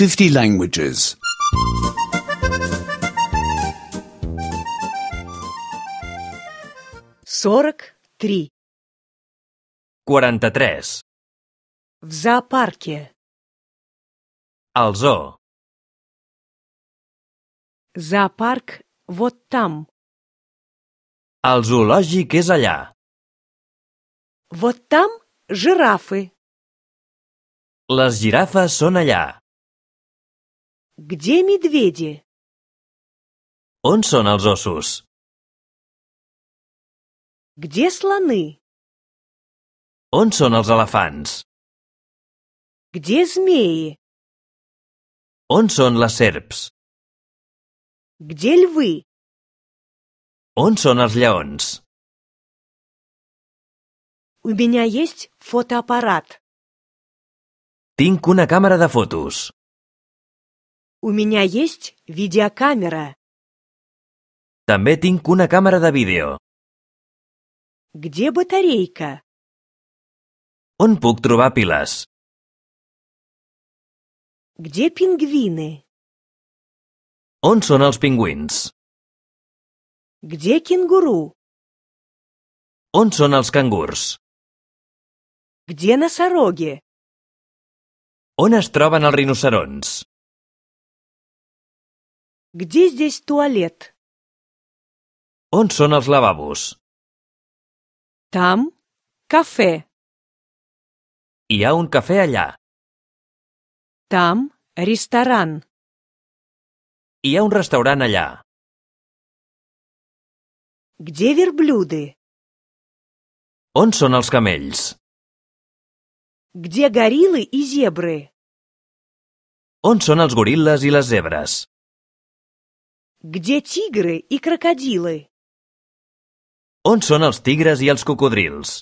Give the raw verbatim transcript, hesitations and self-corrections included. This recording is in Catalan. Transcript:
fifty languages. сорок три. quaranta-tres. В зоопарке. Al zoo. Зоопарк вот там. El zoològic és allà. Вот там жирафы. Les girafes són allà. Где медведи? On són els ossos? Где слоны? On són els elefants? Где змеи? On són les serps? Где львы? On són els lleons? У меня есть фотоаппарат. Tinc una càmera de fotos. У меня есть видеокамера. També tinc una càmera de vídeo. Где батарейка? On puc trobar piles? Где пингвины? On són els pingüins? Где кенгуру? On són els cangurs? Где носороги? On es troben els rinoceronts? Где здесь туалет? On són els lavabos? Там кафе. Hi ha un cafè allà. Там ресторан. Hi ha un restaurant allà. Где верблюды? On són els camells? Где гориллы и зебры? On són els goril·les i les zebres? Где тигры и крокодилы? On són els tigres i els cocodrils?